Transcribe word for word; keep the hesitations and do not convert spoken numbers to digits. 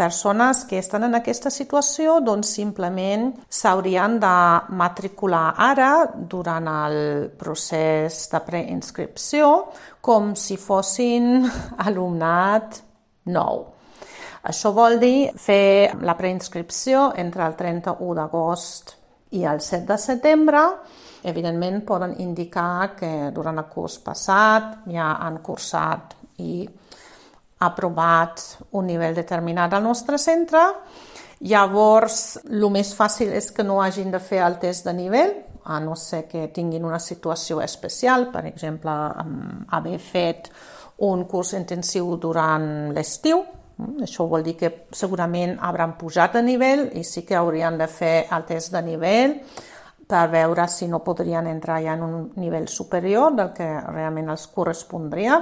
persones que estan en aquesta situació doncs simplement s'haurien de matricular ara durant el procés de preinscripció com si fossin alumnat nou. Això vol dir fer la preinscripció entre el trenta-u d'agost i el set de setembre. Evidentment poden indicar que durant el curs passat ja han cursat i aprovat un nivell determinat al nostre centre. Llavors, el més fàcil és que no hagin de fer el test de nivell, a no ser que tinguin una situació especial, per exemple, haver fet un curs intensiu durant l'estiu. Això vol dir que segurament hauran pujat de nivell i sí que haurien de fer el test de nivell per veure si no podrien entrar ja en un nivell superior del que realment els correspondria.